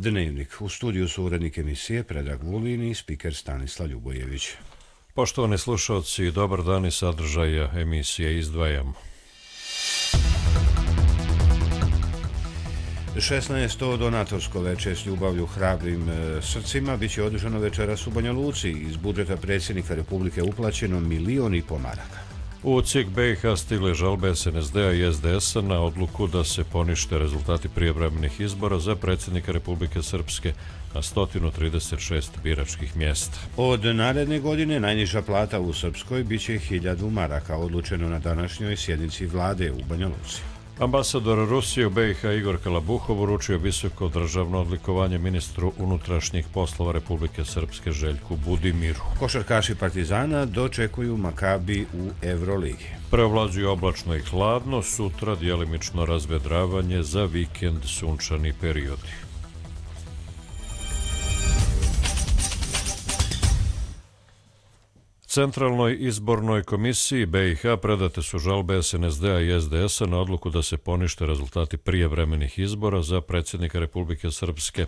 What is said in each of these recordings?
Dnevnik. U studiju su urednik emisije Predrag Vulin i spiker Stanislav Ljubojević. Poštovani slušalci, dobar dan i sadržaja emisije izdvajamo. 16. donatorsko veče s ljubavlju hrabrim srcima biće održano večeras u Banja Luci. Iz budžeta predsjednika Republike uplaćeno 1,5 miliona maraka. U CIK BiH stigle žalbe SNSD-a i SDS-a na odluku da se ponište rezultati prijevremenih izbora za predsjednika Republike Srpske na 136 biračkih mjesta. Od naredne godine najniža plata u Srpskoj biće 1000 maraka, odlučeno na današnjoj sjednici vlade u Banja Luci. Ambasador Rusije u BiH Igor Kalabuhov uručio visoko državno odlikovanje ministru unutrašnjih poslova Republike Srpske Željku Budimiru. Košarkaši Partizana dočekuju Makabi u Evroligi. Preovlađuju oblačno i hladno, sutra djelimično razvedravanje, za vikend sunčani periodi. Centralnoj izbornoj komisiji BiH predate su žalbe SNSD-a i SDS-a na odluku da se ponište rezultati prijevremenih izbora za predsjednika Republike Srpske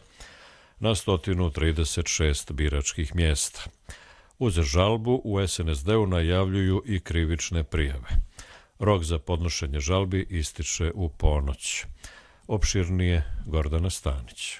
na 136 biračkih mjesta. Uz žalbu u SNSD-u najavljuju i krivične prijave. Rok za podnošenje žalbi ističe u ponoć. Opširnije Gordana Stanić.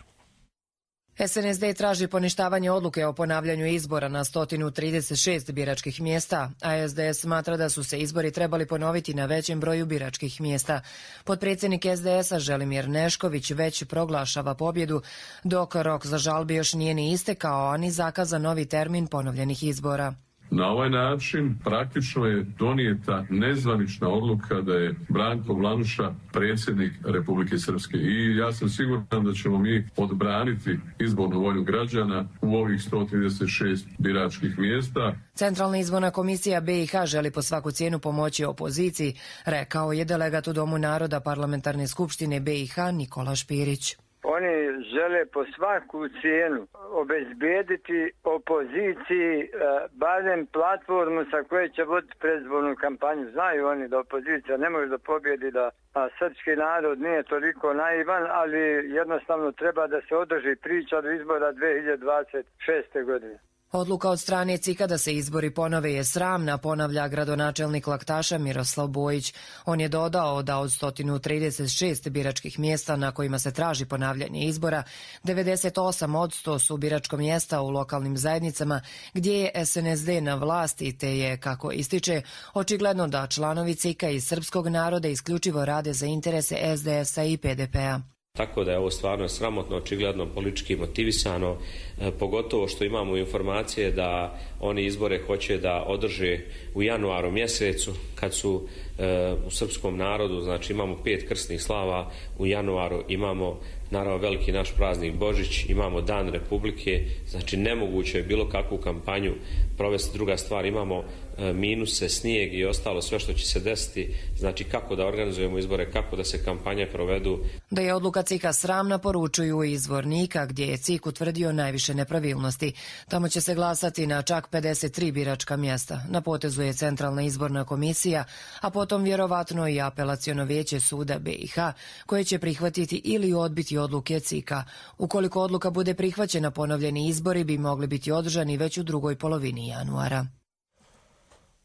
SNSD traži poništavanje odluke o ponavljanju izbora na 136 biračkih mjesta, a SDS smatra da su se izbori trebali ponoviti na većem broju biračkih mjesta. Potpredsjednik SDS-a Želimir Nešković već proglašava pobjedu, dok rok za žalbi još nije ni istekao, a ni zakazan novi termin ponovljenih izbora. Na ovaj način praktično je donijeta nezvanična odluka da je Branko Vlanuša predsjednik Republike Srpske. I ja sam siguran da ćemo mi odbraniti izbornu volju građana u ovih 136 biračkih mjesta. Centralna izborna komisija BiH želi po svaku cijenu pomoći opoziciji, rekao je delegat u Domu naroda Parlamentarne skupštine BiH Nikola Špirić. Oni žele po svaku cijenu obezbijediti opoziciji barem platformu sa koje će voditi predizbornu kampanju. Znaju oni da opozicija ne može da pobjedi, da srpski narod nije toliko naivan, ali jednostavno treba da se održi priča do izbora 2026. godine. Odluka od strane CIK-a da se izbori ponove je sramna, ponavlja gradonačelnik Laktaša Miroslav Bojić. On je dodao da od 136 biračkih mjesta na kojima se traži ponavljanje izbora, 98% su biračko mjesta u lokalnim zajednicama gdje je SNSD na vlasti, te je, kako ističe, očigledno da članovi CIK-a iz srpskog naroda isključivo rade za interese SDS-a i PDP-a. Tako da je ovo stvarno sramotno, očigledno politički motivisano, pogotovo što imamo informacije da oni izbore hoće da održe u januaru mjesecu, kad su u srpskom narodu, znači imamo 5 krsnih slava, u januaru imamo naravno veliki naš praznik Božić, imamo Dan Republike, znači nemoguće je bilo kakvu kampanju provesti. Druga stvar, imamo minuse, snijeg i ostalo sve što će se desiti, znači kako da organizujemo izbore, kako da se kampanje provedu. Da je odluka CIK-a sramna, poručuju iz Zvornika, gdje je CIK utvrdio najviše nepravilnosti. Tamo će se glasati na čak 53 biračka mjesta. Na potezu je Centralna izborna komisija, a potom vjerovatno i apelaciono vijeće suda BiH, koje će prihvatiti ili odbiti odluke CIK-a. Ukoliko odluka bude prihvaćena, ponovljeni izbori bi mogli biti održani već u drugoj polovini januara.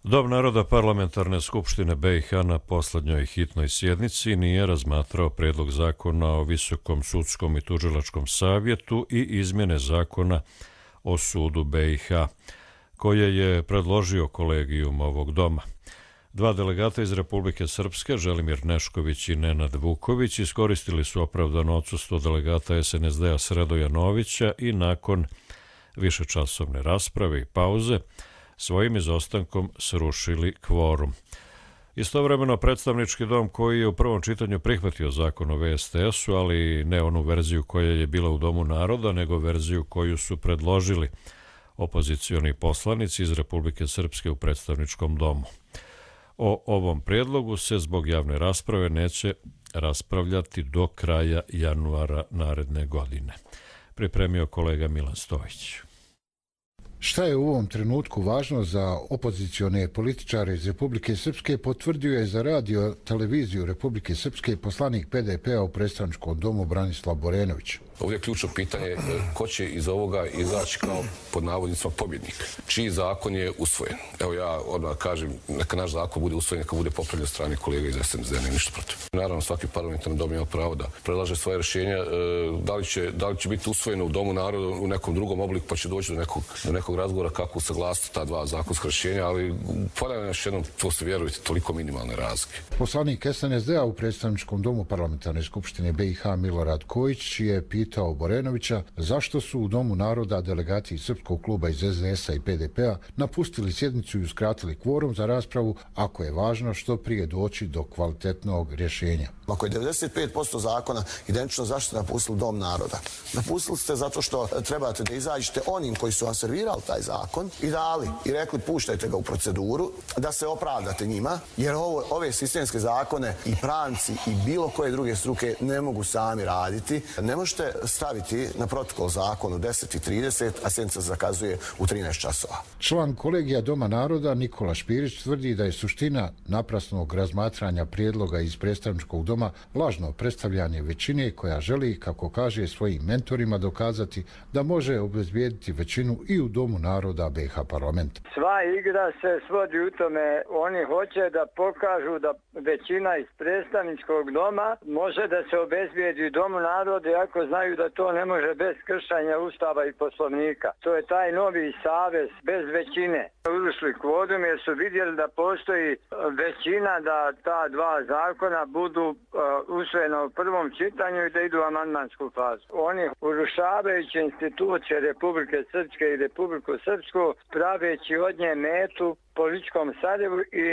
Dom naroda Parlamentarne skupštine BiH na posljednjoj hitnoj sjednici nije razmatrao prijedlog zakona o Visokom sudskom i tužilačkom savjetu i izmjene zakona o sudu BiH, koje je predložio kolegijum ovog doma. Dva delegata iz Republike Srpske, Želimir Nešković i Nenad Vuković, iskoristili su opravdano odsustvo delegata SNSD-a Sredoja Novića i nakon višečasovne rasprave i pauze svojim izostankom srušili kvorum. Istovremeno, predstavnički dom, koji je u prvom čitanju prihvatio zakon o VSTS-u, ali ne onu verziju koja je bila u Domu naroda, nego verziju koju su predložili opozicioni poslanici iz Republike Srpske u predstavničkom domu. O ovom prijedlogu se zbog javne rasprave neće raspravljati do kraja januara naredne godine. Pripremio kolega Milan Stojić. Šta je u ovom trenutku važno za opozicione političare iz Republike Srpske, potvrdio je za radio televiziju Republike Srpske poslanik PDP-a u predstavničkom domu Branislav Borenović. Ovdje je ključno pitanje ko će iz ovoga izaći kao pod navodnicima pobjednik. Čiji zakon je usvojen? Evo ja odmah kažem, neka naš zakon bude usvojen, neka bude popravljen od strane kolega iz SNSD, nema ništa protiv. Naravno, svaki parlamentarni dom ima pravo da predlaže svoje rješenja. Da li će biti usvojeno u Domu naroda u nekom drugom obliku, pa će doći do nekog razgovora kako usaglasiti ta dva zakonska rješenja, ali ponavljam još jednom, to se vjerujete, toliko minimalne razlike. Poslanik SNSD-a u predstavničkom domu Parlamentarne skupštine BiH Milorad Kojić je pitao Borenovića zašto su u Domu naroda delegati Srpskog kluba iz SDS-a i PDP-a napustili sjednicu i uskratili kvorum za raspravu ako je važno što prije doći do kvalitetnog rješenja. Ako je 95% zakona identično, zašto ste napustili Dom naroda? Napustili ste zato što trebate da izađete onim koji su vam servirali taj zakon i dali i rekli puštajte ga u proceduru, da se opravdate njima, jer ove sistemske zakone i pravnici i bilo koje druge struke ne mogu sami raditi. Ne možete staviti na protokol zakon u 10:30, a sjednica zakazuje u 13 časova. Član kolegija Doma naroda Nikola Špirić tvrdi da je suština naprasnog razmatranja prijedloga iz predstavničkog doma lažno predstavljanje većine koja želi, kako kaže svojim mentorima, dokazati da može obezbijediti većinu i u Domu naroda BiH parlamenta. Sva igra se svodi u tome, oni hoće da pokažu da većina iz predstavničkog doma može da se obezbijedi u Domu naroda, iako znaju da to ne može bez kršenja Ustava i Poslovnika. To je taj novi savez bez većine. Ušli kvorum jer su vidjeli da postoji većina da ta dva zakona budu usvojena u prvom čitanju i da idu u amandmansku fazu. Oni urušavajući institucije Republike Srpske i Republiku Srpsku, praveći od nje metu političkom Sarajevu i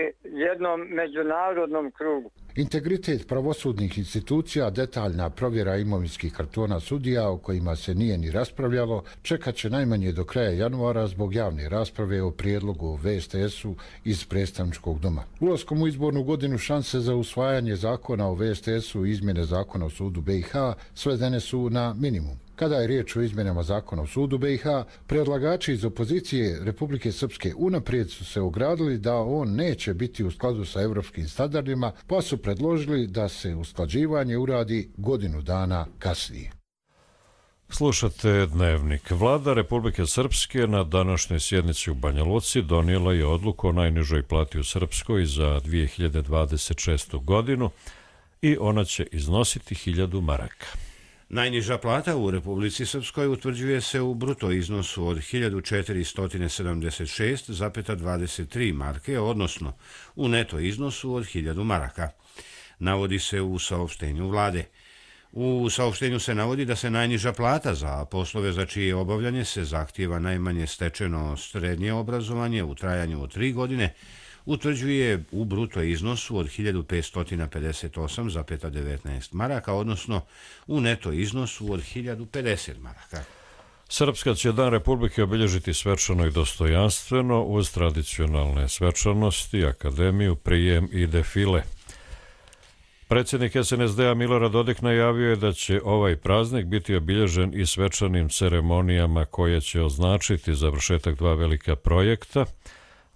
jednom međunarodnom krugu. Integritet pravosudnih institucija, detaljna provjera imovinskih kartona sudija o kojima se nije ni raspravljalo, čekat će najmanje do kraja januara zbog javne rasprave o prijedlogu o VSTS-u iz predstavničkog doma. Ulaskom u izbornu godinu šanse za usvajanje zakona o VSTS-u i izmjene zakona o sudu BiH svedene su na minimum. Kada je riječ o izmjenama zakona o sudu BiH, predlagači iz opozicije Republike Srpske unaprijed su se ogradili da on neće biti u skladu sa evropskim standardima, pa su predložili da se usklađivanje uradi godinu dana kasnije. Slušate Dnevnik. Vlada Republike Srpske na današnjoj sjednici u Banja Luci donijela je odluku o najnižoj plati u Srpskoj za 2026. godinu i ona će iznositi 1000 maraka. Najniža plata u Republici Srpskoj utvrđuje se u bruto iznosu od 1476,23 marke, odnosno u neto iznosu od 1000 maraka. Navodi se u saopštenju vlade. U saopštenju se navodi da se najniža plata za poslove za čije obavljanje se zahtijeva najmanje stečeno srednje obrazovanje u trajanju od 3 godine, utvrđuje u bruto iznosu od 1558,19 maraka, odnosno u neto iznosu od 1050 maraka. Srpska će Dan Republike obilježiti svečano i dostojanstveno uz tradicionalne svečanosti, akademiju, prijem i defile. Predsjednik SNSD-a Milorad Dodik najavio je da će ovaj praznik biti obilježen i svečanim ceremonijama koje će označiti završetak 2 velika projekta,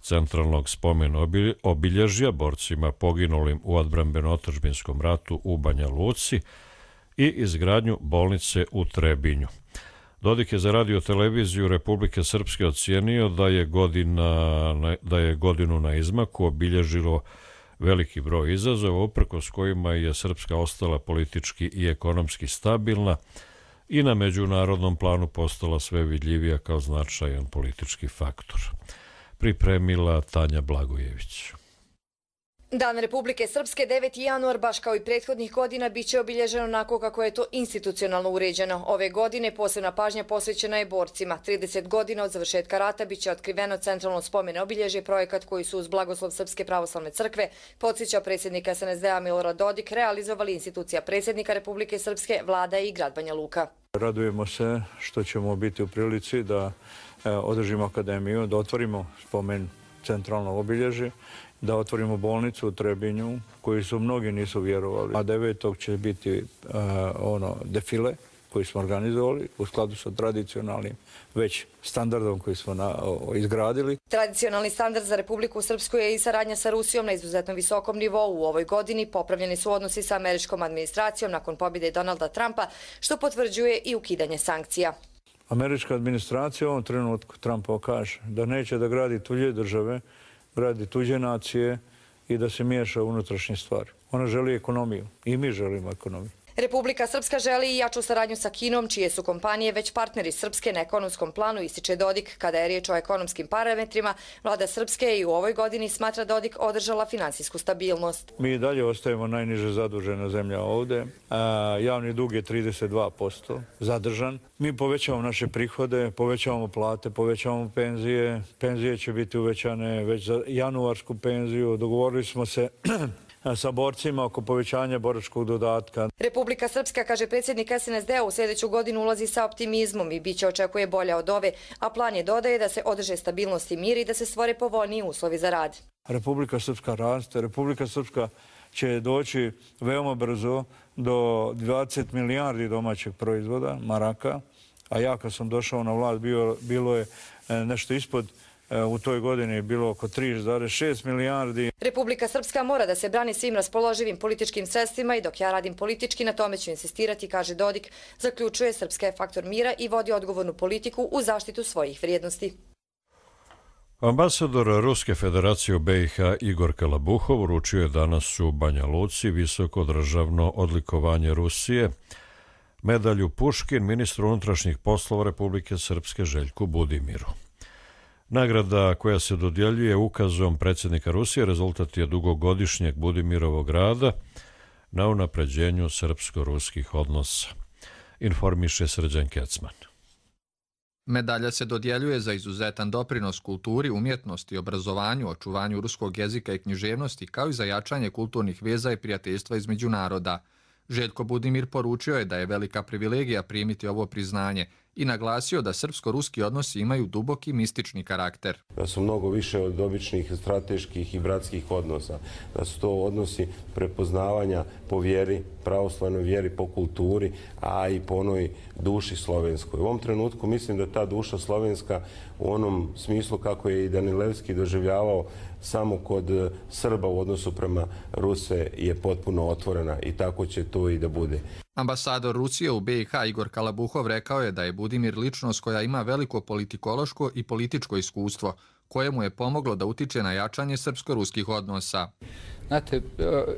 centralnog spomen obilježja borcima poginulim u odbrambeno-otadžbinskom ratu u Banja Luci i izgradnju bolnice u Trebinju. Dodik je za radio-televiziju Republike Srpske ocijenio da je godinu na izmaku obilježilo veliki broj izazova, uprkos kojima je Srpska ostala politički i ekonomski stabilna i na međunarodnom planu postala sve vidljivija kao značajan politički faktor. Pripremila Tanja Blagojević. Dan Republike Srpske 9. januar, baš kao i prethodnih godina, bit će obilježeno onako kako je to institucionalno uređeno. Ove godine posebna pažnja posvećena je borcima. 30 godina od završetka rata bit će otkriveno centralno spomen obilježje, projekat koji su uz blagoslov Srpske pravoslavne crkve, podsjeća predsjednik SNSD-a Milorad Dodik, realizovali institucija predsjednika Republike Srpske, vlada i grad Banja Luka. Radujemo se što ćemo biti u prilici da održimo akademiju, da otvorimo spomen centralno obilježje, da otvorimo bolnicu u Trebinju, koju su mnogi nisu vjerovali. A 9. će biti defile koji smo organizovali u skladu sa tradicionalnim već standardom koji smo izgradili. Tradicionalni standard za Republiku Srpsku je i saradnja sa Rusijom na izuzetno visokom nivou. U ovoj godini popravljeni su odnosi sa američkom administracijom nakon pobjede Donalda Trumpa, što potvrđuje i ukidanje sankcija. Američka administracija u ovom trenutku Trumpova kaže da neće da gradi tuđe države, gradi tuđe nacije i da se miješa u unutrašnje stvari. Ona želi ekonomiju i mi želimo ekonomiju. Republika Srpska želi i jaču saradnju sa Kinom, čije su kompanije već partneri Srpske na ekonomskom planu, ističe Dodik. Kada je riječ o ekonomskim parametrima, vlada Srpske i u ovoj godini smatra Dodik održala finansijsku stabilnost. Mi i dalje ostajemo najniže zadužena zemlja ovdje. Javni dug je 32% zadržan. Mi povećavamo naše prihode, povećavamo plate, povećavamo penzije. Penzije će biti uvećane već za januarsku penziju. Dogovorili smo se sa borcima oko povećanja boračkog dodatka. Republika Srpska, kaže predsjednik SNSD-a, u sljedeću godinu ulazi sa optimizmom i biće očekuje bolja od ove, a plan je, dodaje, da se održe stabilnost i mir i da se stvore povoljniji uslovi za rad. Republika Srpska raste, Republika Srpska će doći veoma brzo do 20 milijardi domaćeg proizvoda, maraka, a ja kad sam došao na vlast bilo je nešto ispod. U toj godini je bilo oko 3,6 milijardi. Republika Srpska mora da se brani svim raspoloživim političkim sredstvima i dok ja radim politički, na tome ću insistirati, kaže Dodik. Zaključuje, Srpska je faktor mira i vodi odgovornu politiku u zaštitu svojih vrijednosti. Ambasador Ruske federacije u BiH Igor Kalabuhov uručio je danas u Banja Luci visoko državno odlikovanje Rusije, medalju Puškin ministru unutrašnjih poslova Republike Srpske Željku Budimiru. Nagrada koja se dodjeljuje ukazom predsjednika Rusije rezultat je dugogodišnjeg Budimirovog rada na unapređenju srpsko-ruskih odnosa, informiše Srđan Kecman. Medalja se dodjeljuje za izuzetan doprinos kulturi, umjetnosti, obrazovanju, očuvanju ruskog jezika i književnosti, kao i za jačanje kulturnih veza i prijateljstva između naroda. Željko Budimir poručio je da je velika privilegija primiti ovo priznanje i naglasio da srpsko-ruski odnosi imaju duboki mistični karakter. Da su mnogo više od običnih strateških i bratskih odnosa. Da su to odnosi prepoznavanja po vjeri, pravoslavnoj vjeri, po kulturi, a i po onoj duši slovenskoj. U ovom trenutku mislim da ta duša slovenska u onom smislu kako je i Danilevski doživljavao samo kod Srba u odnosu prema Ruse je potpuno otvorena i tako će to i da bude. Ambasador Rusije u BiH Igor Kalabuhov rekao je da je Budimir ličnost koja ima veliko politikološko i političko iskustvo, koje mu je pomoglo da utiče na jačanje srpsko-ruskih odnosa. Znate,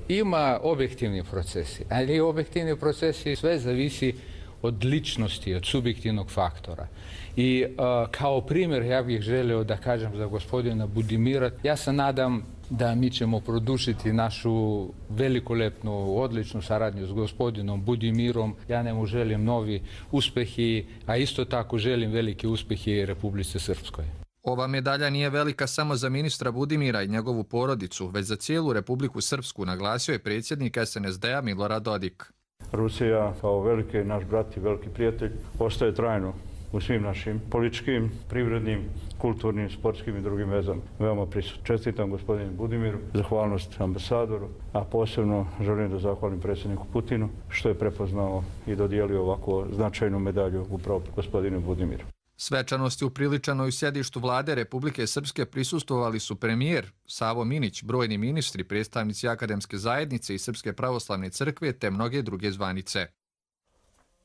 ima objektivni procesi, ali objektivni procesi sve zavisi od ličnosti, od subjektivnog faktora. I kao primjer ja bih želio da kažem za gospodina Budimira, ja se nadam da mi ćemo produšiti našu velikolepnu, odličnu saradnju s gospodinom Budimirom. Ja njemu želim novi uspjehi, a isto tako želim veliki uspjehi Republici Srpskoj. Ova medalja nije velika samo za ministra Budimira i njegovu porodicu, već za cijelu Republiku Srpsku, naglasio je predsjednik SNSD-a Milorad Dodik. Rusija kao veliki naš brat i veliki prijatelj ostaje trajno u svim našim političkim, privrednim, kulturnim, sportskim i drugim vezama. Veoma prisutno. Čestitam gospodinu Budimiru, zahvalnost ambasadoru, a posebno želim da zahvalim predsjedniku Putinu što je prepoznao i dodijelio ovako značajnu medalju upravo gospodinu Budimiru. Svečanosti upriličanoj u sjedištu vlade Republike Srpske prisustvovali su premijer Savo Minić, brojni ministri, predstavnici akademske zajednice i Srpske pravoslavne crkve te mnoge druge zvanice.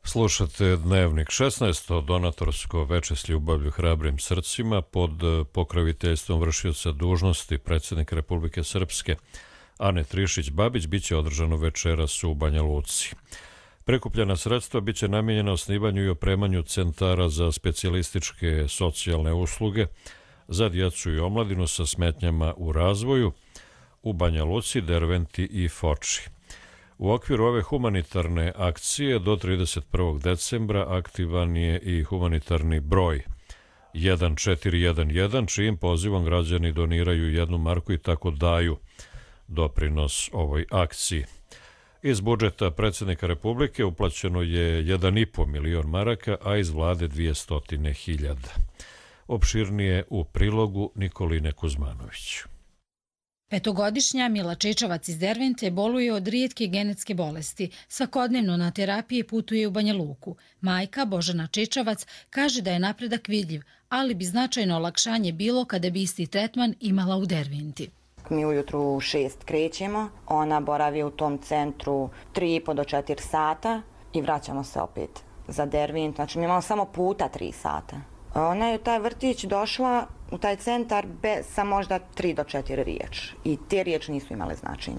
Slušate Dnevnik 16, donatorsko veče s ljubavlju hrabrim srcima pod pokroviteljstvom vršioca dužnosti predsjednika Republike Srpske Ane Trišić-Babić biće održano večeras u Banja Luci. Prikupljena sredstva biće namijenjena osnivanju i opremanju centara za specijalističke socijalne usluge za djecu i omladinu sa smetnjama u razvoju u Banja Luci, Derventi i Foči. U okviru ove humanitarne akcije do 31. decembra aktivan je i humanitarni broj 1411, čijim pozivom građani doniraju 1 marku i tako daju doprinos ovoj akciji. Iz budžeta predsjednika Republike uplaćeno je 1,5 milion maraka, a iz vlade 200.000. Opširnije u prilogu Nikoline Kuzmanović. Petogodišnja Mila Čečavac iz Dervente boluje od rijetke genetske bolesti. Svakodnevno na terapije putuje u Banja Luku. Majka Božana Čečavac kaže da je napredak vidljiv, ali bi značajno olakšanje bilo kada bi isti tretman imala u Derventi. Mi ujutru u 6 krećemo, ona boravi u tom centru 3,5 do 4 sata i vraćamo se opet za Dervent. Znači mi imamo samo puta 3 sata. Ona je u taj vrtić došla u taj centar sa možda 3 do 4 riječi i te riječi nisu imale značenja.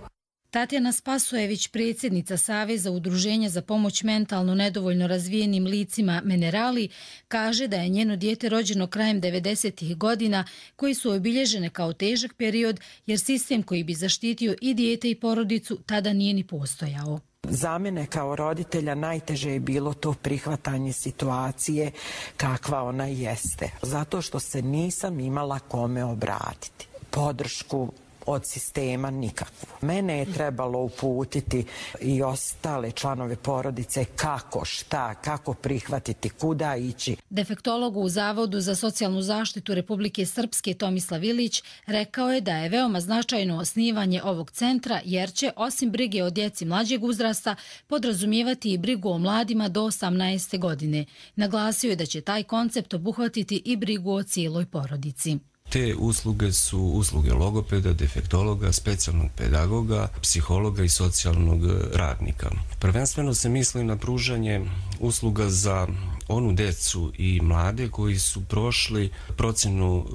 Tatjana Spasojević, predsjednica Saveza udruženja za pomoć mentalno nedovoljno razvijenim licima Menerali, kaže da je njeno dijete rođeno krajem 90-ih godina koji su obilježene kao težak period jer sistem koji bi zaštitio i dijete i porodicu tada nije ni postojao. Za mene kao roditelja najteže je bilo to prihvatanje situacije kakva ona jeste. Zato što se nisam imala kome obratiti. Podršku od sistema nikakvu. Mene je trebalo uputiti i ostale članove porodice kako, šta, kako prihvatiti, kuda ići. Defektologu u Zavodu za socijalnu zaštitu Republike Srpske Tomislav Ilić rekao je da je veoma značajno osnivanje ovog centra jer će, osim brige o djeci mlađeg uzrasta, podrazumijevati i brigu o mladima do 18. godine. Naglasio je da će taj koncept obuhvatiti i brigu o cijeloj porodici. Te usluge su usluge logopeda, defektologa, specijalnog pedagoga, psihologa i socijalnog radnika. Prvenstveno se misli na pružanje usluga za onu decu i mlade koji su prošli procjenu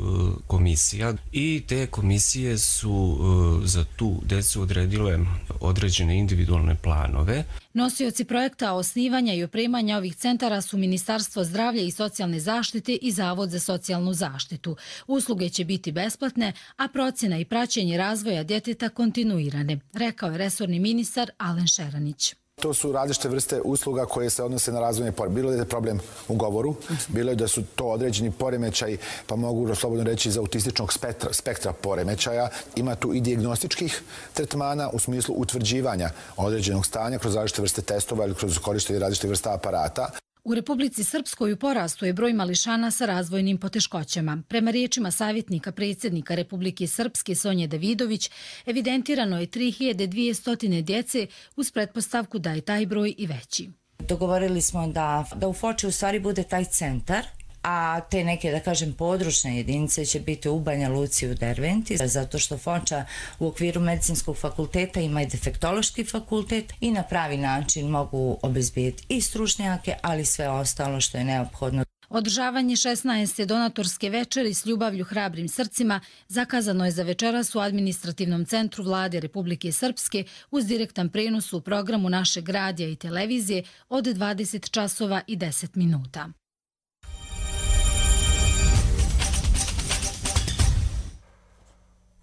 komisija i te komisije su za tu decu odredile određene individualne planove. Nosioci projekta osnivanja i opremanja ovih centara su Ministarstvo zdravlja i socijalne zaštite i Zavod za socijalnu zaštitu. Usluge će biti besplatne, a procjena i praćenje razvoja djeteta kontinuirane, rekao je resorni ministar Alen Šeranić. To su različite vrste usluga koje se odnose na razvojne poremećaje. Bilo je problem u govoru, bilo je da su to određeni poremećaj, pa mogu slobodno reći iz autističnog spektra poremećaja. Ima tu i dijagnostičkih tretmana u smislu utvrđivanja određenog stanja kroz različite vrste testova ili kroz korištenje različitih vrsta aparata. U Republici Srpskoj u porastu je broj mališana sa razvojnim poteškoćama. Prema riječima savjetnika predsjednika Republike Srpske Sonje Davidović, evidentirano je 3200 djece uz pretpostavku da je taj broj i veći. Dogovorili smo da u Foči u stvari bude taj centar, a te neke, da kažem, područne jedinice će biti u Banja Luci u Derventi, zato što Foča u okviru medicinskog fakulteta ima i defektološki fakultet i na pravi način mogu obezbijeti i stručnjake, ali sve ostalo što je neophodno. Održavanje 16. donatorske večeri s ljubavlju hrabrim srcima zakazano je za večeras u administrativnom centru Vlade Republike Srpske uz direktan prenos u programu našeg radija i televizije od 20 časova i 10 minuta.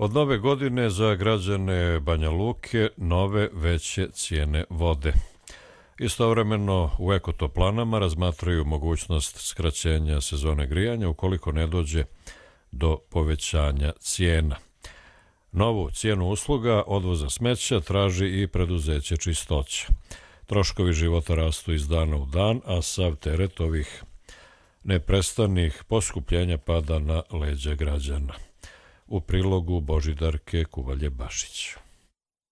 Od nove godine za građane Banja Luke nove veće cijene vode. Istovremeno u ekotoplanama razmatraju mogućnost skraćenja sezone grijanja ukoliko ne dođe do povećanja cijena. Novu cijenu usluga odvoza smeća traži i preduzeće Čistoća. Troškovi života rastu iz dana u dan, a sav teret ovih neprestanih poskupljenja pada na leđa građana. U prilogu Božidarke Kuvalje-Bašić.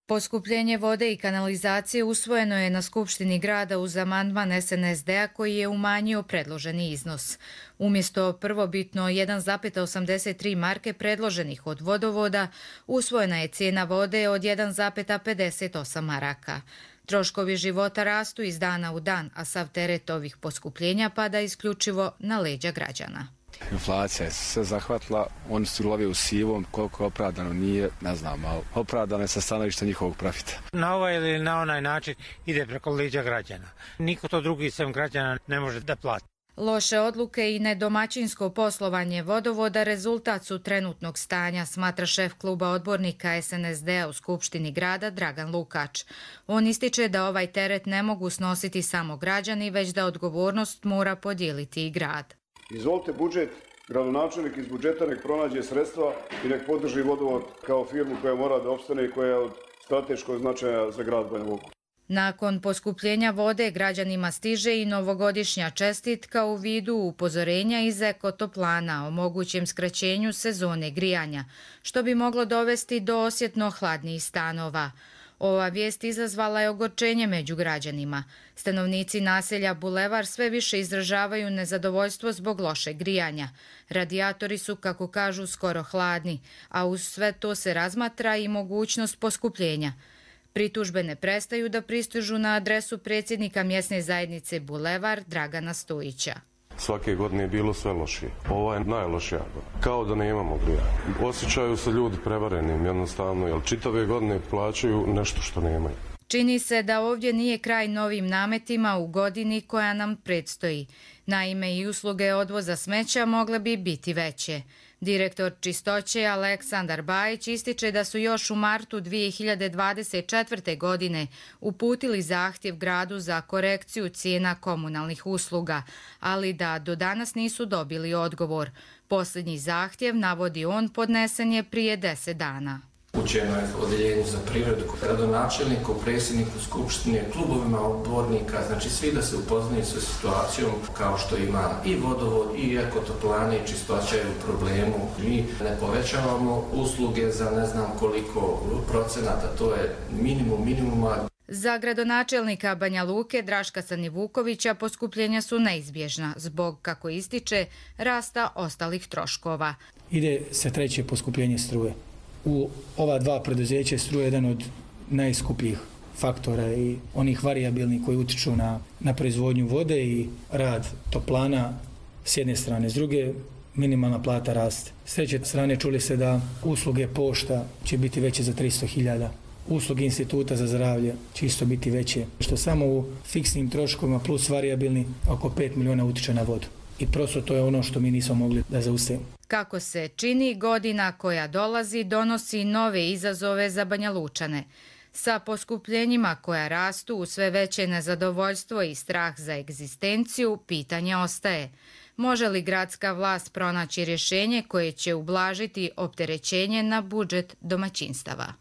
Poskupljenje vode i kanalizacije usvojeno je na Skupštini grada uz amandman SNSD-a koji je umanjio predloženi iznos. Umjesto prvobitno 1,83 marke predloženih od vodovoda, usvojena je cijena vode od 1,58 maraka. Troškovi života rastu iz dana u dan, a sav teret ovih poskupljenja pada isključivo na leđa građana. Inflacija je sve zahvatila, oni su love u sivom, koliko je opravdano nije, ne znam, ali opravdano je sa stanovišta njihovog profita. Na ovaj ili na onaj način ide preko leđa građana. Niko to drugi sem građana ne može da plati. Loše odluke i nedomaćinsko poslovanje vodovoda rezultat su trenutnog stanja, smatra šef kluba odbornika SNSD-a u Skupštini grada Dragan Lukač. On ističe da ovaj teret ne mogu snositi samo građani, već da odgovornost mora podijeliti i grad. Izvolite budžet, gradonačelnik iz budžeta nek pronađe sredstva i nek podrži vodovod kao firmu koja mora da opstane i koja je od strateškog značaja za grad Banja Luku. Nakon poskupljenja vode građanima stiže i novogodišnja čestitka u vidu upozorenja iz ekotoplana o mogućem skraćenju sezone grijanja, što bi moglo dovesti do osjetno hladnijih stanova. Ova vijest izazvala je ogorčenje među građanima. Stanovnici naselja Bulevar sve više izražavaju nezadovoljstvo zbog lošeg grijanja. Radijatori su, kako kažu, skoro hladni, a uz sve to se razmatra i mogućnost poskupljenja. Pritužbe ne prestaju da pristižu na adresu predsjednika mjesne zajednice Bulevar Dragana Stojića. Svake godine je bilo sve lošije. Ova je najlošija. Kao da nemamo grijanja. Osjećaju se ljudi prevarenim jednostavno, jer čitave godine plaćaju nešto što nemaju. Čini se da ovdje nije kraj novim nametima u godini koja nam predstoji. Naime, i usluge odvoza smeća mogle bi biti veće. Direktor čistoće Aleksandar Bajić ističe da su još u martu 2024. godine uputili zahtjev gradu za korekciju cijena komunalnih usluga, ali da do danas nisu dobili odgovor. Posljednji zahtjev, navodi on, podnesen je prije 10 dana. Upućeno je odjeljenju za privredu, gradonačelniku, predsjedniku skupštine, klubovima odbornika, znači svi da se upoznaju sa situacijom kao što ima i vodovod, i ekotoplane, i čistoća je u problemu. Mi ne povećavamo usluge za ne znam koliko procenata, to je minimum minimuma. Za gradonačelnika Banja Luke Draška Sanivukovića poskupljenja su neizbježna zbog, kako ističe, rasta ostalih troškova. Ide se treće poskupljenje struje. U ova dva preduzeća struje jedan od najskupljih faktora i onih varijabilnih koji utiču na proizvodnju vode i rad toplana s jedne strane. S druge, minimalna plata raste. S treće strane čuli se da usluge pošta će biti veće za 300.000. Usluge instituta za zdravlje će isto biti veće. Što samo u fiksnim troškovima plus varijabilni oko 5 miliona utiče na vodu. I prosto to je ono što mi nismo mogli da zaustavimo. Kako se čini, godina koja dolazi donosi nove izazove za Banja Lučane. Sa poskupljenjima koja rastu u sve veće nezadovoljstvo i strah za egzistenciju, pitanje ostaje. Može li gradska vlast pronaći rješenje koje će ublažiti opterećenje na budžet domaćinstava?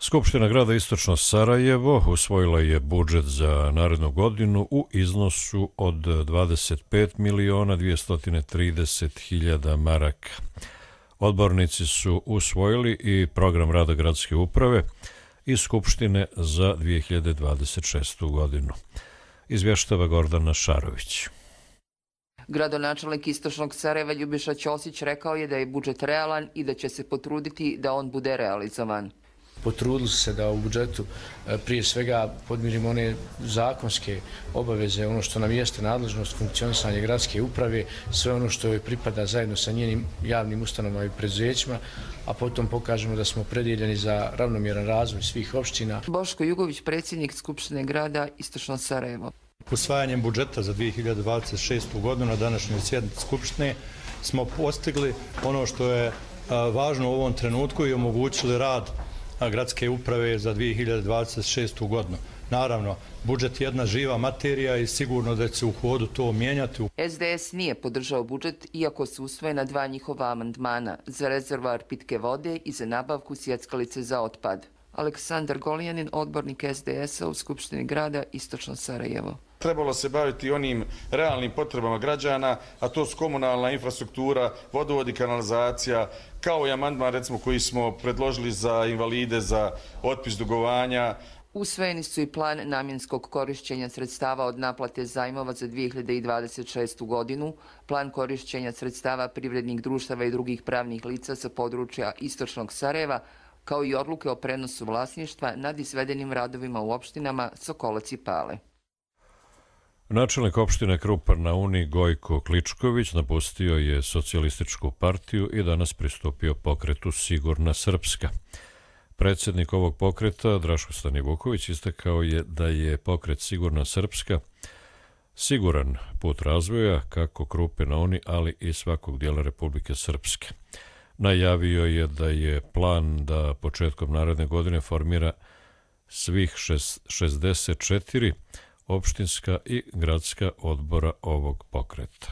Skupština grada Istočno Sarajevo usvojila je budžet za narednu godinu u iznosu od 25.230.000 maraka. Odbornici su usvojili i program rada gradske uprave i Skupštine za 2026. godinu. Izvještava Gordana Šarović. Gradonačelnik Istočnog Sarajeva Ljubiša Ćosić rekao je da je budžet realan i da će se potruditi da on bude realizovan. Potrudili su se da u budžetu prije svega podmirimo one zakonske obaveze, ono što nam jeste nadležnost funkcionisanja gradske uprave, sve ono što joj pripada zajedno sa njenim javnim ustanovama i preduzećima, a potom pokažemo da smo opredjeljeni za ravnomjeran razvoj svih opština. Boško Jugović, predsjednik Skupštine grada Istočno Sarajevo. Usvajanjem budžeta za 2026. godinu na današnjoj sjednici Skupštine smo postigli ono što je važno u ovom trenutku i omogućili rad gradske uprave za 2026. godinu. Naravno, budžet je jedna živa materija i sigurno da će se u hodu to mijenjati. SDS nije podržao budžet, iako su usvojena 2 njihova amandmana za rezervoar pitke vode i za nabavku sjeckalice za otpad. Aleksandar Golijanin, odbornik SDS-a u Skupštini grada Istočno Sarajevo. Trebalo se baviti onim realnim potrebama građana, a to su komunalna infrastruktura, vodovod i kanalizacija, kao i amandman recimo koji smo predložili za invalide, za otpis dugovanja. Usvojeni su i plan namjenskog korišćenja sredstava od naplate zajmova za 2026. godinu, plan korišćenja sredstava privrednih društava i drugih pravnih lica sa područja Istočnog Sarajeva, kao i odluke o prenosu vlasništva nad izvedenim radovima u opštinama Sokolac i Pale. Načelnik opštine Krupar na Uni Gojko Kličković napustio je socijalističku partiju i danas pristupio pokretu Sigurna Srpska. Predsjednik ovog pokreta, Draško Stanivuković, istakao je da je pokret Sigurna Srpska siguran put razvoja kako Krupe na Uni, ali i svakog dijela Republike Srpske. Najavio je da je plan da početkom naredne godine formira svih 64 opštinska i gradska odbora ovog pokreta.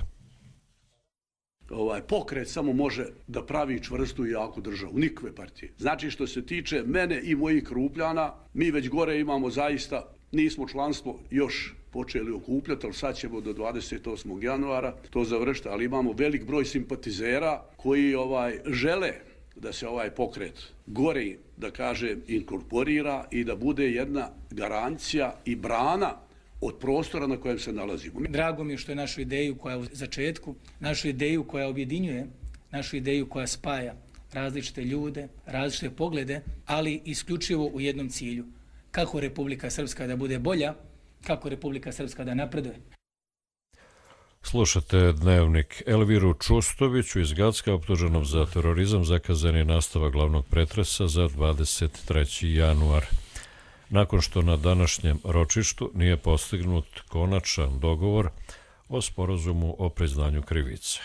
pokret samo može da pravi čvrstu i jaku državu, nikakve partije. Znači što se tiče mene i mojih Krupljana, mi već gore imamo zaista, nismo članstvo još počeli okupljati, ali sad ćemo do 28. januara to završiti, ali imamo velik broj simpatizera koji žele da se ovaj pokret gore, da kažem, inkorporira i da bude jedna garancija i brana od prostora na kojem se nalazimo. Drago mi je što je našu ideju koja je u začetku, našu ideju koja objedinjuje, našu ideju koja spaja različite ljude, različite poglede, ali isključivo u jednom cilju. Kako Republika Srpska da bude bolja, kako Republika Srpska da napreduje. Slušate dnevnik. Elviru Čustoviću iz Gacka, optuženom za terorizam, zakazan je nastavak glavnog pretresa za 23. januar. Nakon što na današnjem ročištu nije postignut konačan dogovor o sporazumu o priznanju krivice.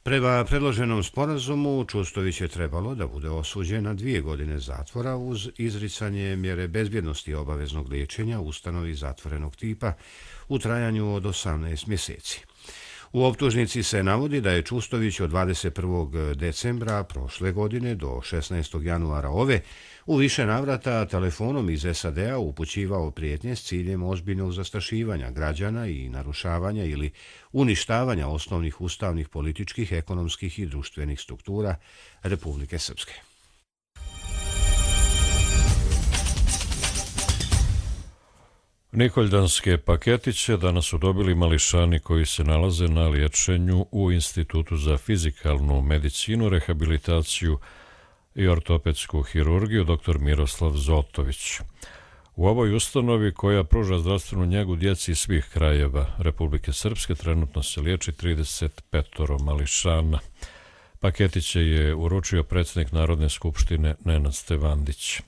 Prema predloženom sporazumu Čustović je trebalo da bude osuđen na 2 godine zatvora uz izricanje mjere bezbjednosti i obaveznog liječenja u ustanovi zatvorenog tipa u trajanju od 18 mjeseci. U optužnici se navodi da je Čustović od 21. decembra prošle godine do 16. januara ove u više navrata telefonom iz SAD-a upućivao prijetnje s ciljem ozbiljnog zastrašivanja građana i narušavanja ili uništavanja osnovnih ustavnih, političkih, ekonomskih i društvenih struktura Republike Srpske. Nikoljdanske paketiće danas su dobili mališani koji se nalaze na liječenju u Institutu za fizikalnu medicinu, rehabilitaciju i ortopedsku hirurgiju dr. Miroslav Zotović. U ovoj ustanovi koja pruža zdravstvenu njegu djeci iz svih krajeva Republike Srpske trenutno se liječi 35 mališana. Paketiće je uručio predsjednik Narodne skupštine Nenad Stevandić.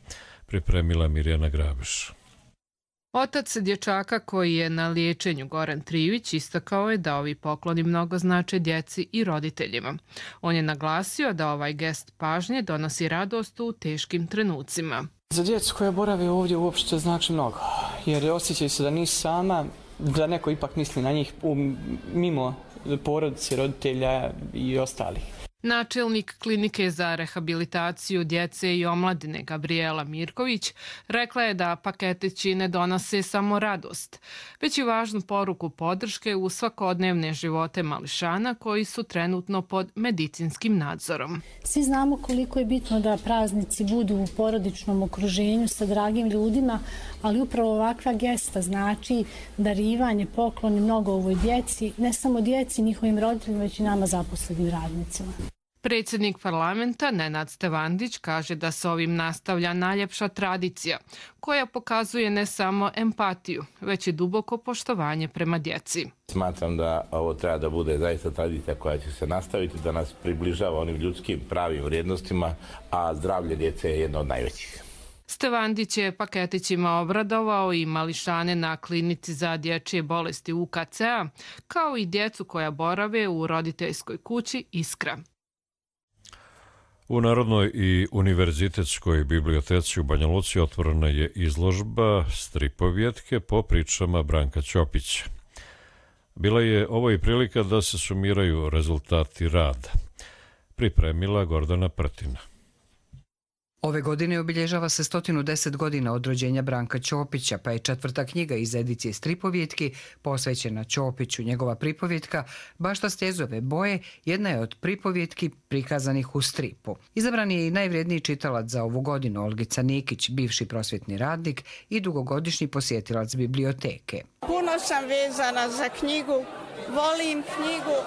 Pripremila Mirjana Grabiš. Otac dječaka koji je na liječenju, Goran Trivić, istakao je da ovi pokloni mnogo znače djeci i roditeljima. On je naglasio da ovaj gest pažnje donosi radost u teškim trenucima. Za djecu koja borave ovdje uopšte znači mnogo, jer osjećaju se da nisu sama, da neko ipak misli na njih mimo porodice, roditelja i ostalih. Načelnik klinike za rehabilitaciju djece i omladine Gabriela Mirković rekla je da paketići ne donose samo radost, već i važnu poruku podrške u svakodnevne živote mališana koji su trenutno pod medicinskim nadzorom. Svi znamo koliko je bitno da praznici budu u porodičnom okruženju sa dragim ljudima, ali upravo ovakva gesta znači darivanje, pokloni mnogo ovoj djeci, ne samo djeci, njihovim roditeljima, već i nama zaposlenim radnicima. Predsjednik parlamenta Nenad Stevandić kaže da se ovim nastavlja najljepša tradicija koja pokazuje ne samo empatiju, već i duboko poštovanje prema djeci. Smatram da ovo treba da bude zaista tradicija koja će se nastaviti, da nas približava onim ljudskim pravim vrijednostima, a zdravlje djece je jedno od najvećih. Stevandić je paketićima obradovao i mališane na klinici za dječje bolesti UKC-a, kao i djecu koja borave u roditeljskoj kući Iskra. U Narodnoj i univerzitetskoj biblioteci u Banja Luci otvorena je izložba stripovjetke po pričama Branka Ćopića. Bila je ovo i prilika da se sumiraju rezultati rada. Pripremila Gordana Prtina. Ove godine obilježava se 110 godina od rođenja Branka Ćopića, pa je 4. knjiga iz edicije stripovjetki posvećena Ćopiću. Njegova pripovjetka Bašta stjezove boje jedna je od pripovjetki prikazanih u stripu. Izabran je i najvrijedniji čitalac za ovu godinu Olgica Nikić, bivši prosvjetni radnik i dugogodišnji posjetilac biblioteke. Puno sam vezana za knjigu, volim knjigu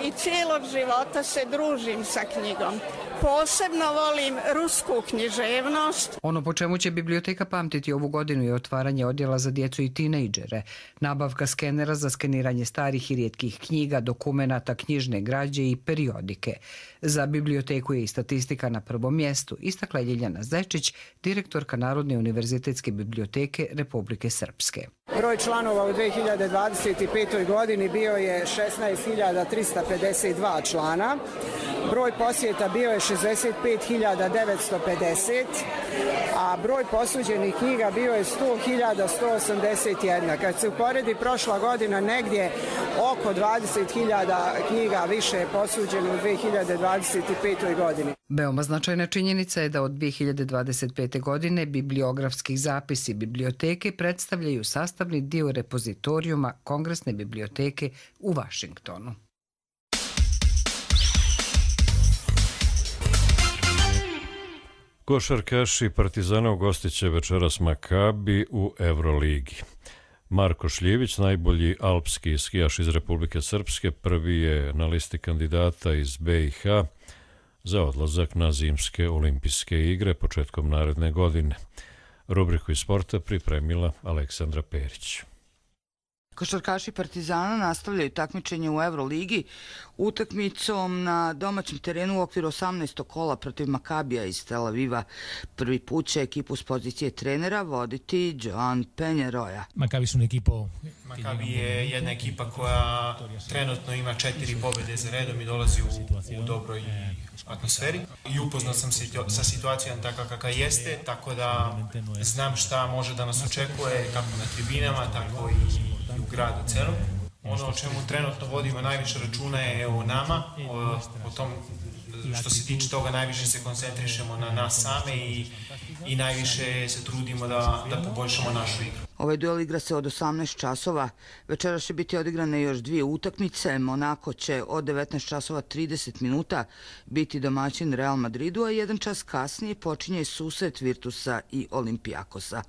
i cijelog života se družim sa knjigom. Posebno volim rusku književnost. Ono po čemu će biblioteka pamtiti ovu godinu je otvaranje odjela za djecu i tinejdžere, nabavka skenera za skeniranje starih i rijetkih knjiga, dokumenata, knjižne građe i periodike. Za biblioteku je i statistika na prvom mjestu, istakla je Ljiljana Zečić, direktorka Narodne univerzitetske biblioteke Republike Srpske. Broj članova u 2025. godini bio je 16.352 člana. Broj posjeta bio je 65.950, a broj posuđenih knjiga bio je 100.181. Kad se uporedi prošla godina, negdje oko 20.000 knjiga više je posuđeno u 2025. godini. Veoma značajna činjenica je da od 2025. godine bibliografskih zapisi biblioteke predstavljaju sastavni dio repozitorijuma Kongresne biblioteke u Vašingtonu. Košarkaši Partizana ugostit će večeras Makabi u Euroligi. Marko Šljivić, najbolji alpski skijaš iz Republike Srpske, prvi je na listi kandidata iz BiH za odlazak na zimske olimpijske igre početkom naredne godine. Rubriku iz sporta pripremila Aleksandra Perić. Košarkaši Partizana nastavljaju takmičenje u Euroligi utakmicom na domaćem terenu u okviru 18. kola protiv Makabija iz Tel Aviva. Prvi put će ekipu s pozicije trenera voditi Joan Penjeroja. Makabi je jedna ekipa koja trenutno ima 4 pobjede za redom i dolazi u dobroj atmosferi. I upoznao sam se sa situacijom takva kakva jeste, tako da znam šta može da nas očekuje kako na tribinama, tako i u gradu celom. Ono o čemu trenutno vodimo najviše računa je o nama, o tom što se tiče toga najviše se koncentrišemo na nas same i najviše se trudimo da poboljšamo našu igru. Ovaj duel igra se od 18 časova. Večera će biti odigrane još 2 utakmice. Monako će od 19 časova 30 minuta biti domaćin Real Madridu, a 1 čas kasnije počinje susret Virtusa i Olimpijakosa.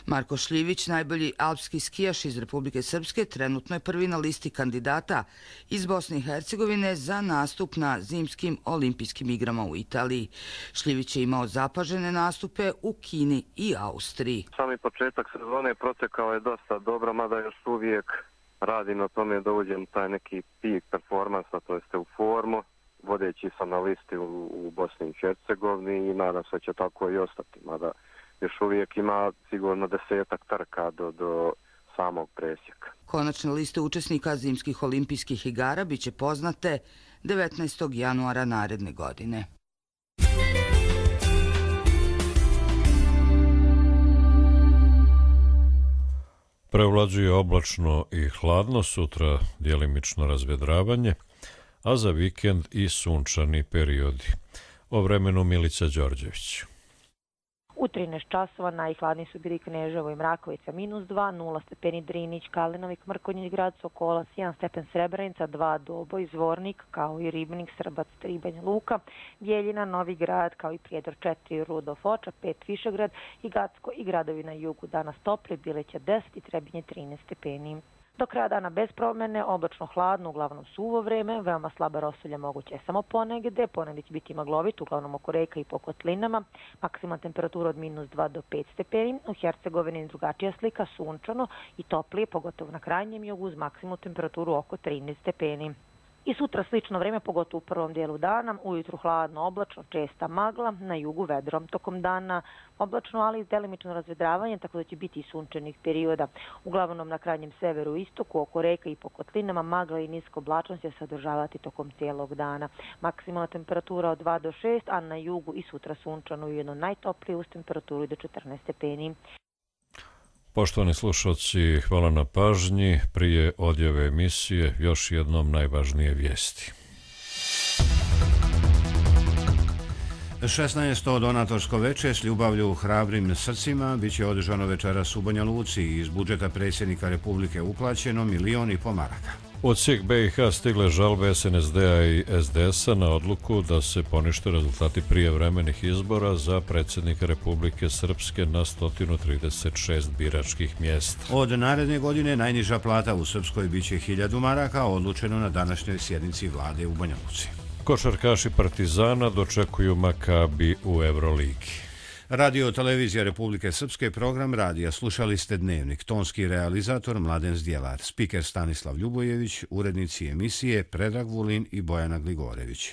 Marko Šljivić, najbolji alpski skijaš iz Republike Srpske, trenutno je prvi na listi kandidata iz Bosne i Hercegovine za nastup na zimskim olimpijskim igrama u Italiji. Šljivić je imao zapažene nastupe u Kini i Austriji. Sami početak sezone protekao je dosta dobro, mada još uvijek radim na tome da uđem taj neki peak performansa, to jeste u formu, vodeći sam na listi u Bosni i Hercegovini i nadam se će tako i ostati, mada još uvijek ima sigurno 10-ak trka do samog presjeka. Konačne liste učesnika zimskih olimpijskih igara biće poznate 19. januara naredne godine. Prevlađuje oblačno i hladno, sutra djelimično razvedravanje, a za vikend i sunčani periodi. O vremenu Milica Đorđević. U 13 časova najhladniji su bili Kneževo i Mrakovica -2, 0 stepeni Drinić, Kalinovik, Mrkonjić grad, Sokolac, 1 stepen Srebrenica, 2 Doboj, Zvornik, kao i Ribnik, Srbac, 3 Banja Luka, Bjeljina, Novi Grad, kao i Prijedor 4, Rudolf Foča, 5 Višegrad i Gacko i gradovi na jugu. Danas topli, Bileća 10 i Trebinje 13 stepeni. Do kraja dana bez promjene, oblačno hladno, uglavnom suvo vreme, veoma slaba rosulja moguće je samo ponegde, ponegde će biti maglovit, uglavnom oko reka i po kotlinama, maksimalna temperatura od -2 do 5 stepeni, u Hercegovini drugačija slika, sunčano i toplije, pogotovo na krajnjem jugu uz maksimalnu temperaturu oko 13 stepeni. I sutra slično vreme, pogotovo u prvom dijelu dana, ujutru hladno, oblačno, česta magla, na jugu vedrom. Tokom dana oblačno, ali delimično razvedravanje, tako da će biti i sunčanih perioda. Uglavnom na krajnjem severu i istoku, oko reka i po kotlinama, magla i niska oblačnost će se održavati tokom cijelog dana. Maksimalna temperatura od 2 do 6, a na jugu i sutra sunčano, ujedno najtoplije uz temperaturu do 14 stepeni. Poštovani slušalci, hvala na pažnji. Prije odjave emisije još jednom najvažnije vijesti. 16. donatorsko veče s ljubavlju u hrabrim srcima biće održano večeras u Banja Luci i iz budžeta predsjednika Republike uplaćeno 1,5 miliona maraka. Od svih BiH stigle žalbe SNSD-a i SDS-a na odluku da se ponište rezultati prijevremenih izbora za predsjednika Republike Srpske na 136 biračkih mjesta. Od naredne godine najniža plata u Srpskoj biće 1000 maraka, odlučeno na današnjoj sjednici vlade u Banja Luci. Košarkaši Partizana dočekuju Makabi u Euroligi. Radio Televizija Republike Srpske, program radija. Slušali ste Dnevnik. Tonski realizator Mladen Zdjelar, spiker Stanislav Ljubojević, urednici emisije Predrag Vulin i Bojana Gligorević.